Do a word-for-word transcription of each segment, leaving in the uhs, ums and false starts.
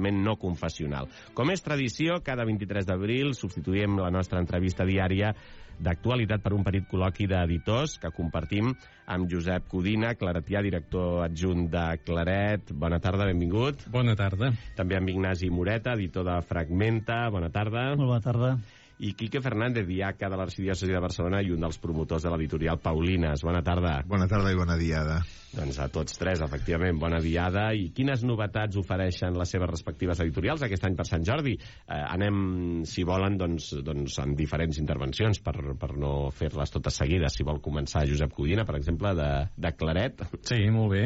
no confessional. Com és tradició, cada vint-i-tres d'abril substituïm la nostra entrevista diària d'actualitat per un petit col·loqui d'editors que compartim amb Josep Codina, claretià, director adjunt de Claret. Bona tarda, benvingut. Bona tarda. També amb Ignasi Moreta, editor de Fragmenta. Bona tarda. Molt bona tarda. I Quique Fernández, diaca de l'Arxidiòcesi de Barcelona i un dels promotors de l'editorial Paulines. Bona tarda. Bona tarda i bona diada. Doncs a tots tres, efectivament, bona diada. I quines novetats ofereixen les seves respectives editorials aquest any per Sant Jordi? Eh, anem, si volen, doncs, doncs en diferents intervencions per, per no fer-les totes seguides. Si vol començar Josep Codina, per exemple, de, de Claret. Sí, molt bé.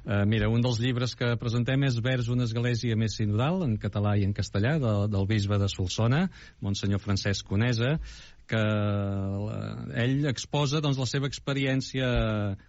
Uh, mira, un dels llibres que presentem és Vers una església més sinodal, en català i en castellà, de, del bisbe de Solsona, Monsenyor Francesc Conesa, que ell exposa doncs, la seva experiència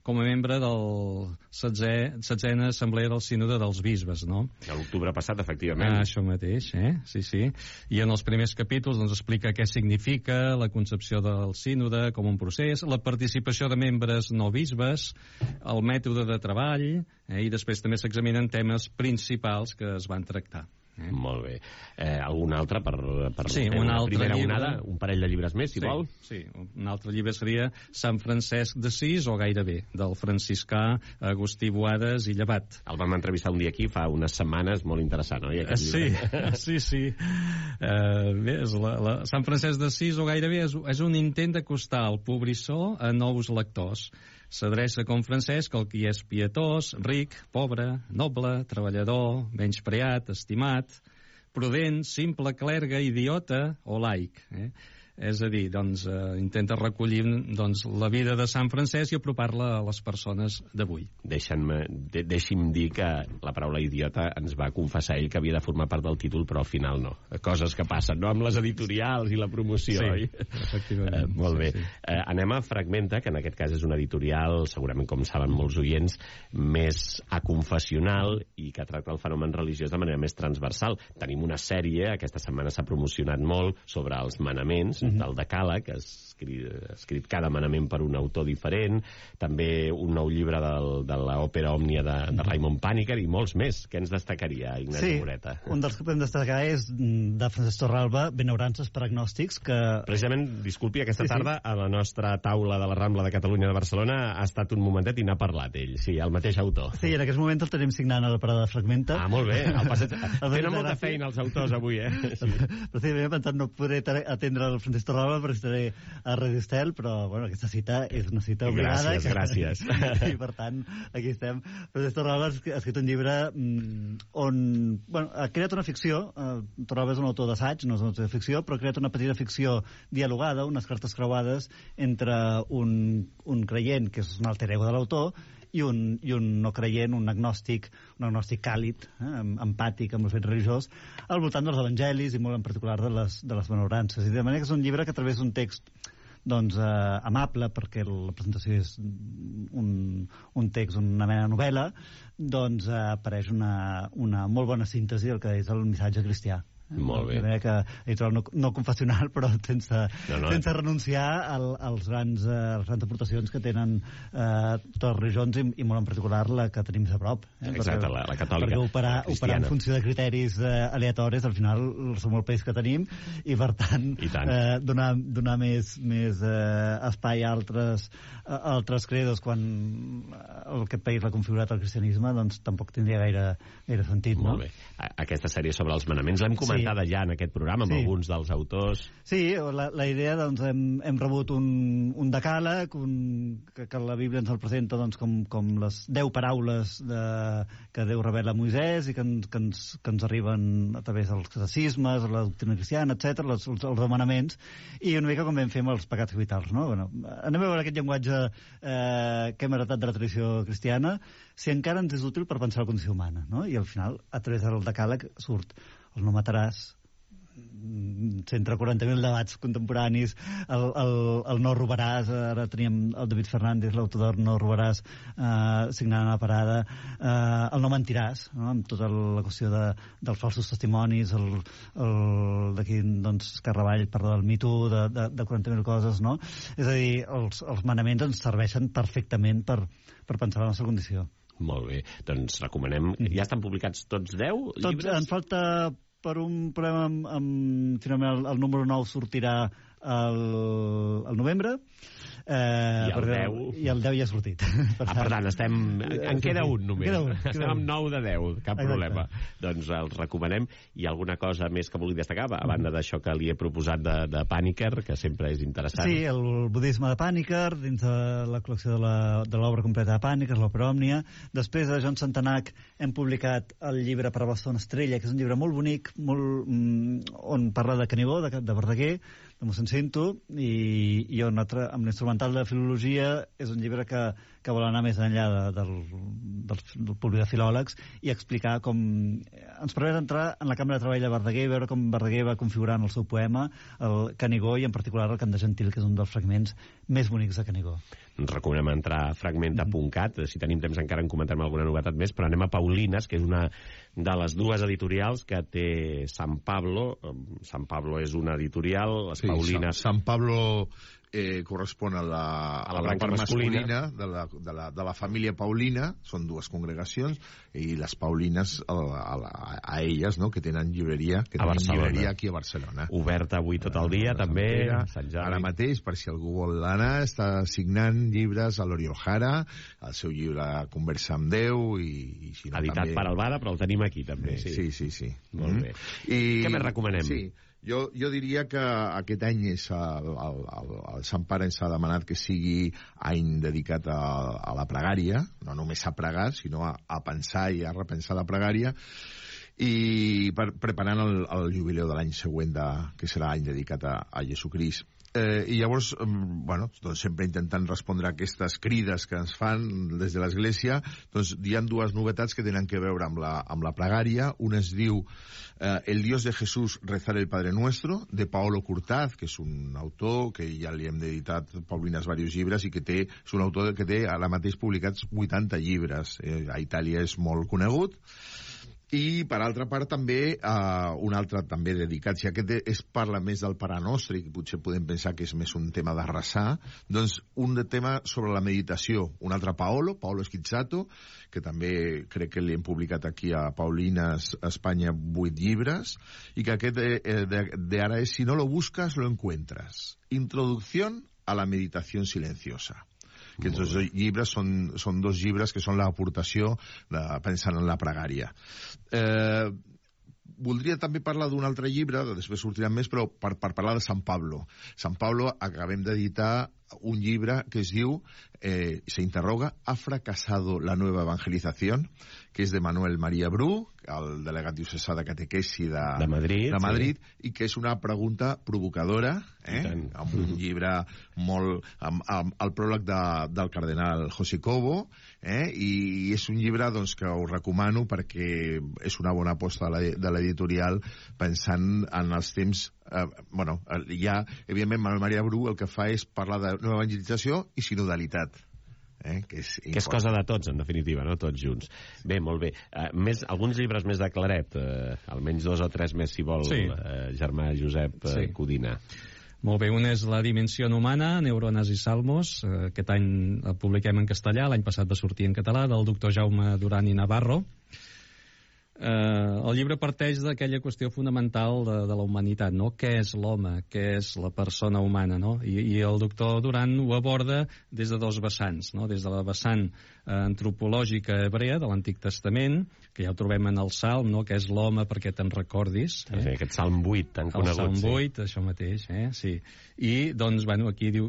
com a membre del setzena Assemblea del Sínode dels Bisbes, no? A l'octubre passat, efectivament. Ah, això mateix, eh? Sí, sí. I en els primers capítols doncs, explica què significa la concepció del sínode com un procés, la participació de membres no bisbes, el mètode de treball, eh? I després també s'examinen temes principals que es van tractar. Eh? Molt bé. Eh, algun altre per, per sí, fer un una altre primera llibre... onada? Un parell de llibres més, si sí, vol? Sí, un altre llibre seria Sant Francesc d'Assís, o gairebé, del franciscà Agustí Boades i Llevat. El vam entrevistar un dia aquí fa unes setmanes, molt interessant, oi? Sí, sí, sí. Uh, bé, és la, la... Sant Francesc d'Assís, o gairebé, és, és un intent d'acostar el pobrissó a nous lectors. S'adreça com Francesc al qui és pietós, ric, pobre, noble, treballador, menyspreat, estimat, prudent, simple, clergue, idiota o laic. Eh? És a dir, doncs, eh, intenta recollir doncs, la vida de Sant Francesc i apropar-la a les persones d'avui. Deixa'm, de, deixi'm dir que la paraula idiota ens va confessar ell que havia de formar part del títol, però al final no. Coses que passen, no?, amb les editorials i la promoció, sí, oi? Efectivament. Eh, molt bé. Sí, sí. Eh, anem a Fragmenta, que en aquest cas és una editorial, segurament, com saben molts oients, més aconfessional i que tracta el fenomen religiós de manera més transversal. Tenim una sèrie, aquesta setmana s'ha promocionat molt, sobre els manaments, del Decàleg, que ha escrit, ha escrit cada manament per un autor diferent, també un nou llibre del, de l'òpera Òmnia de, de Raimon Pàniker i molts més. Què ens destacaria, Ignasi sí, Moreta? Un dels que podem destacar és de Francesc Torralba, Benaurances per agnòstics, que... Precisament, disculpi, aquesta sí, tarda sí. a la nostra taula de la Rambla de Catalunya de Barcelona ha estat un momentet i n'ha parlat ell, sí, el mateix autor. Sí, en aquest moment el tenim signant a la parada de Fragmenta. Ah, molt bé, el passeig... tenen molta feina els autors avui, eh? Sí. Però sí, m'he pensat no podré atendre el Francesc Torralba perquè estaré a Radio Estel, però bueno, aquesta cita és una cita obligada. Gràcies, gràcies. I per tant, aquí estem. Francesc Torralba ha escrit un llibre on bueno, ha creat una ficció. Torralba és un autor d'assaig, no és un autor de ficció, però ha creat una petita ficció dialogada, unes cartes creuades entre un, un creient, que és un alter ego de l'autor, i un, i un no creient, un agnòstic, un agnòstic càlid, eh, empàtic amb el fet religiós, al voltant dels evangelis i molt en particular de les, de les benaurances. I de manera que és un llibre que a través d'un text doncs, eh, amable, perquè la presentació és un, un text, una mena de novel·la, doncs eh, apareix una, una molt bona síntesi del que és el missatge cristià. Molt bé. Que, no, no confessional, però sense, no, no. sense renunciar al, als grans, eh, les grans aportacions que tenen eh, totes les religions i, i molt en particular la que tenim a prop. Eh? Exacte, perquè, la, la catòlica, perquè operar, la cristiana. Operar en funció de criteris eh, aleatoris, al final som el país que tenim i per tant, I tant. Eh, donar, donar més, més eh, espai a altres, a altres credos quan aquest país l'ha configurat el cristianisme, doncs tampoc tindria gaire, gaire sentit. Molt no? bé. Aquesta sèrie sobre els manaments l'hem comentat sí. ja en aquest programa amb sí. alguns dels autors. Sí, la, la idea, doncs, hem, hem rebut un, un decàleg, un, que, que la Bíblia ens el presenta doncs, com, com les deu paraules de, que Déu revela a Moisès i que, ens, que, ens, que ens arriben a través dels catecismes, la doctrina cristiana, etcètera, els, els, els demanaments, i una mica com vam fer amb els pecats capitals, no? Bueno, anem a veure aquest llenguatge eh, que hem heretat de la tradició cristiana, si encara ens és útil per pensar la condició humana, no? I al final, a través del decàleg, surt el no mataràs, cent quaranta mil debats contemporanis, el, el, el no robaràs, ara teníem el David Fernández, l'autor del no robaràs, eh, signant a la parada, eh, el no mentiràs, no? Amb tota la qüestió de, dels falsos testimonis, el, el d'aquí, doncs, Carravall parla del Me Too, de, de, de quaranta mil coses, no? És a dir, els, els manaments ens serveixen perfectament per, per pensar la nostra condició. Molt bé, doncs recomanem... Ja estan publicats tots deu llibres? Tots, en falta per un problema amb... amb finalment el, el número nou sortirà al, al novembre. Eh, I el deu... I el deu ja ha sortit. Per ah, per tant, estem... En queda un només. Queda un, estem queda amb nou de deu, cap Exacte. problema. Doncs els recomanem. I alguna cosa més que vulgui destacar, a banda d'això que li he proposat de, de Paniker, que sempre és interessant? Sí, el budisme de Paniker, dins de la col·lecció de l'obra completa de Paniker, l'Òpera Òmnia. Després, de John Santanach, hem publicat el llibre Per a Bastona Estrella, que és un llibre molt bonic, molt, mm, on parla de Canigó, de, de Verdaguer, de mossèn Cinto, i, i on altre, amb l'instrumental de filologia és un llibre que, que vol anar més enllà de, del, del, del públic de filòlegs i explicar com... Ens permet entrar en la cambra de treball de Verdaguer i veure com Verdaguer va configurar en el seu poema el Canigó i en particular el Cant de Gentil, que és un dels fragments més bonics de Canigó. Ens recomanem entrar a fragmenta punt cat, si tenim temps encara en comentem alguna novetat més, però anem a Paulines, que és una de les dues editorials que té San Pablo. San Pablo és una editorial, les sí, Paulines... San, San Pablo eh, correspon a la, a la, a la part masculina, masculina de, la, de, la, de la família Paulina, són dues congregacions, i les Paulines a, a, a, a elles, no?, que tenen llibreria, que a tenen Barcelona. llibreria aquí a Barcelona. Oberta avui tot el dia, a també. Sant Ara mateix, per si algú vol anar, està signant llibres a l'Oriol Jara, el seu llibre Conversa amb Déu, i, i si no, editat també... per Alvada, però el tenim aquí, també. Sí, sí, sí. sí. Molt mm. bé. I... Què més recomanem? Sí, jo, jo diria que aquest any és el, el, el, el Sant Pare ens ha demanat que sigui any dedicat a, a la pregària, no només a pregar, sinó a, a pensar i a repensar la pregària, i per, preparant el, el jubileu de l'any següent, de, que serà any dedicat a, a Jesucrist. Eh, I llavors, bueno, doncs sempre intentant respondre a aquestes crides que ens fan des de l'Església, doncs hi ha dues novetats que tenen que veure amb la, amb la pregària. Una es diu eh, El Dios de Jesús, rezar el Padre Nuestro, de Paolo Curtaz, que és un autor que ja li hem dedicat Paulines diversos llibres i que té, és un autor que té ara mateix publicats vuitanta llibres. Eh, a Itàlia és molt conegut. I, per altra part, també eh, un altre també dedicat, si aquest es parla més del Pare Nostre, i potser podem pensar que és més un tema de resar, doncs un de tema sobre la meditació. Un altre Paolo, Paolo Schizzato, que també crec que li hem publicat aquí a Paulines Espanya vuit llibres, i que aquest eh, de, de ara és Si no lo buscas, lo encuentras. Introducción a la meditación silenciosa. Aquests dos llibres són, són dos llibres que són l'aportació de, pensant en la pregària. Eh, voldria també parlar d'un altre llibre, després sortiran més, però per, per parlar de San Pablo. San Pablo acabem d'editar un llibre que es diu, eh, se interroga, ¿ha fracasado la nueva evangelización?, que és de Manuel María Bru, el delegat diocesà de catequesi de, de Madrid, de Madrid sí. I que és una pregunta provocadora, eh? amb un llibre molt... amb, amb el pròleg de, del cardenal José Cobo, eh? I és un llibre doncs, que us recomano perquè és una bona aposta de l'editorial pensant en els temps... Eh, bueno, ja, evidentment, Manuel María Bru el que fa és parlar de nova evangelització i sinodalitat. Eh, que, és que és cosa de tots, en definitiva, no? Tots junts. Bé, molt bé. Uh, més, alguns llibres més de Claret, uh, almenys dos o tres més, si vol, sí. uh, germà Josep uh, sí. Codina. Molt bé, un és La dimensió humana, Neurones i Salmos. Uh, aquest any el publiquem en castellà, l'any passat va sortir en català, del doctor Jaume Duran i Navarro. Eh, el llibre parteix d'aquella qüestió fonamental de, de la humanitat, no? Què és l'home? Què és la persona humana, no? I, i el doctor Duran ho aborda des de dos vessants, no? Des de la vessant eh, antropològica hebrea de l'Antic Testament, que ja ho trobem en el Salm, no? Què és l'home perquè te'n recordis? Eh? Sí, aquest Salm vuit tan conegut. El Salm sí. vuit, això mateix, eh? Sí. I, doncs, bueno, aquí diu,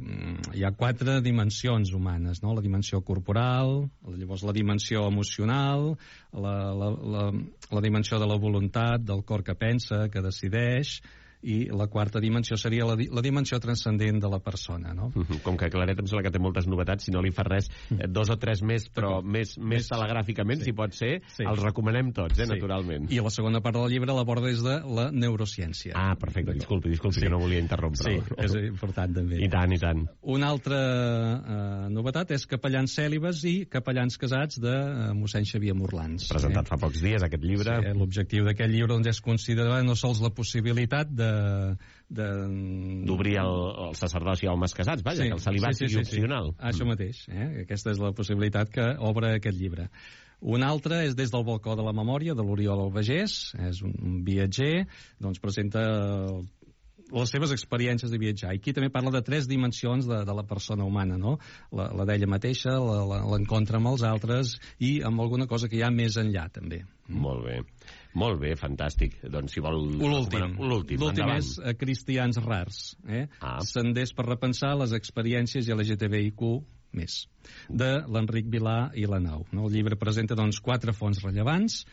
hi ha quatre dimensions humanes, no? La dimensió corporal, llavors la dimensió emocional, la, la, la, la dimensió de la voluntat, del cor que pensa, que decideix, i la quarta dimensió seria la, di la dimensió transcendent de la persona, no? Com que Claret em sembla que té moltes novetats, si no li fa res, eh, dos o tres més, però més, més telegràficament, sí. si pot ser, sí. els recomanem tots, eh, sí. naturalment. I la segona part del llibre l'aborda des de la neurociència. Ah, perfecte, disculpi, disculpi, sí. que no volia interrompre. Sí, és important també. I tant, i tant. Una altra eh, novetat és Capellans cèlibes i Capellans casats de eh, mossèn Xavier Morlans. Presentat eh? fa pocs dies, aquest llibre. Sí, l'objectiu d'aquest llibre doncs, és considerar no sols la possibilitat de d'obrir el, el sacerdoci a homes casats, vaja, sí, que el celibat sí, sí, sigui sí, opcional. Sí. Això mateix, eh? Aquesta és la possibilitat que obre aquest llibre. Un altre és Des del balcó de la memòria, de l'Oriol Albagés, és un viatger, doncs presenta les seves experiències de viatjar. I aquí també parla de tres dimensions de, de la persona humana, no? La, la d'ella mateixa, l'encontre amb els altres i amb alguna cosa que hi ha més enllà, també. Molt bé. Molt bé, fantàstic. Doncs si vol... L'últim. L'últim és a Cristians rars. Eh? Ah. Senders per repensar les experiències L G T B I Q més, de l'Enric Vilà i la Nau. No? El llibre presenta doncs, quatre fonts rellevants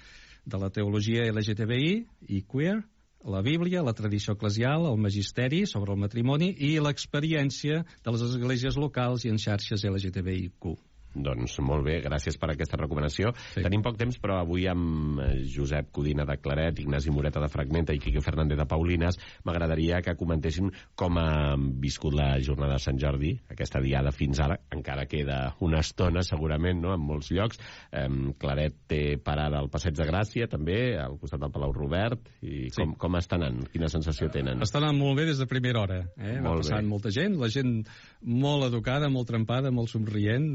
de la teologia L G T B I i queer, la Bíblia, la tradició eclesial, el magisteri sobre el matrimoni i l'experiència de les esglésies locals i en xarxes L G T B I Q. Doncs molt bé, gràcies per aquesta recomanació. Sí. Tenim poc temps, però avui amb Josep Codina de Claret, Ignasi Moreta de Fragmenta i Quique Fernández de Paulines m'agradaria que comentéssim com ha viscut la jornada de Sant Jordi, aquesta diada fins ara. Encara queda una estona, segurament, no?, en molts llocs. Eh, Claret té parada al Passeig de Gràcia, també, al costat del Palau Robert. I sí. com, com està anant? Quina sensació tenen? Està anant molt bé des de primera hora. Eh? Va passant molta gent, la gent molt educada, molt trempada, molt somrient,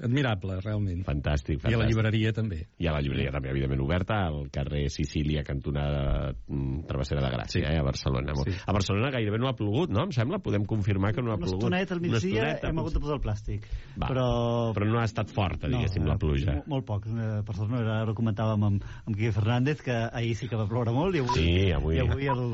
admirable, realment. Fantàstic, fantàstic. I a la llibreria també. I a la llibreria també, evidentment, oberta al carrer Sicília, cantonada Travessera de Gràcia, sí. eh, a Barcelona. Sí. A Barcelona gairebé no ha plogut, no? Em sembla, podem confirmar que no ha una plogut. Una estoneta al migdia hem hagut de posar el plàstic. Va, però... però no ha estat forta, diguéssim, no, la pluja. Molt, molt poc. Per sort, ara ho comentàvem amb, amb Quique Fernández, que ahir sí que va ploure molt i avui... Sí, avui... I avui el...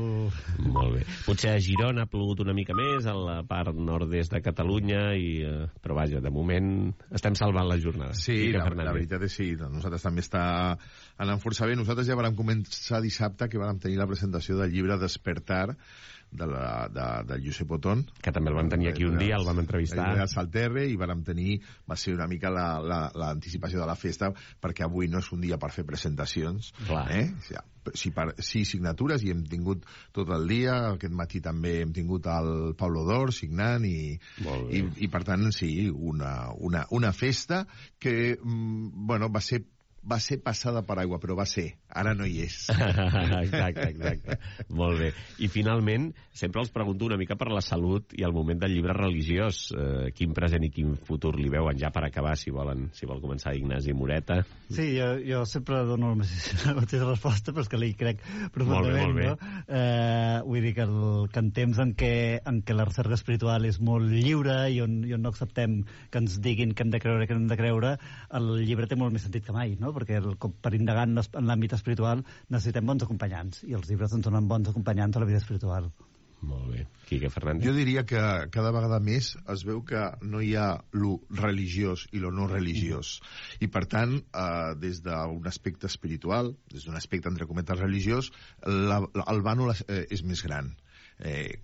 Molt bé. Potser a Girona ha plogut una mica més, a la part nord-est de Catalunya, i, però vaja, de moment estem salvant la jornada. Sí, la, la veritat és sí. Nosaltres també està anant força bé. Nosaltres ja vam començar dissabte, que vam tenir la presentació del llibre Despertar, de, la, de, de Josep Otón, que també el vam tenir aquí un dia, el vam entrevistar al Salterre, i vam tenir, va ser una mica l'anticipació la, la, de la festa, perquè avui no és un dia per fer presentacions. Clar. Eh? Sí, per, sí, signatures, i hem tingut tot el dia. Aquest matí també hem tingut el Pablo Dor signant, i, i, i per tant sí, una, una, una festa que bueno, va ser va ser passada per aigua, però va ser. Ara no hi és. Exacte, exacte. Molt bé. I finalment, sempre els pregunto una mica per la salut i el moment del llibre religiós. Eh, quin present i quin futur li veuen? Ja per acabar, si volen, si vol començar Ignasi Moreta. Sí, jo, jo sempre dono la mateixa, la mateixa resposta, però és que li crec profundament. Molt bé, molt bé. No? Eh, vull dir que, el, que en temps en què, en què la recerca espiritual és molt lliure i on, i on no acceptem que ens diguin que hem de creure que hem de creure, el llibre té molt més sentit que mai, no? Perquè el, per indagar en l'àmbit espiritual necessitem bons acompanyants, i els llibres ens donen bons acompanyants a la vida espiritual. Molt bé. Quique Fernández? Jo diria que cada vegada més es veu que no hi ha lo religiós i lo no religiós. I per tant, eh, des d'un aspecte espiritual, des d'un aspecte entre cometes religiós, la, la, el vànol eh, és més gran. Eh,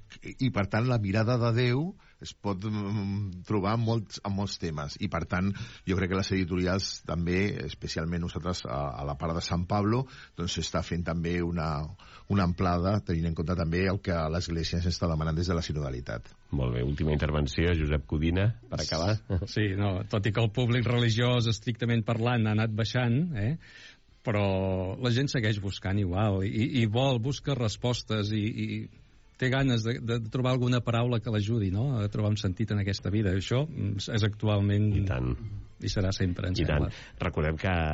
I per tant la mirada de Déu es pot mm, trobar en molts, en molts temes, i per tant jo crec que les editorials també, especialment nosaltres a, a la part de Sant Pablo, doncs s'està fent també una, una amplada, tenint en compte també el que l'Església s'està demanant des de la sinodalitat. Molt bé, última intervenció, Josep Codina, per acabar. Sí, no, tot i que el públic religiós, estrictament parlant, ha anat baixant, eh? Però la gent segueix buscant igual, i, i vol, busca respostes, i, i té ganes de, de trobar alguna paraula que l'ajudi, no?, a trobar un sentit en aquesta vida. Això és actualment... I tant. I serà sempre, ens I sembla. tant. Recordem que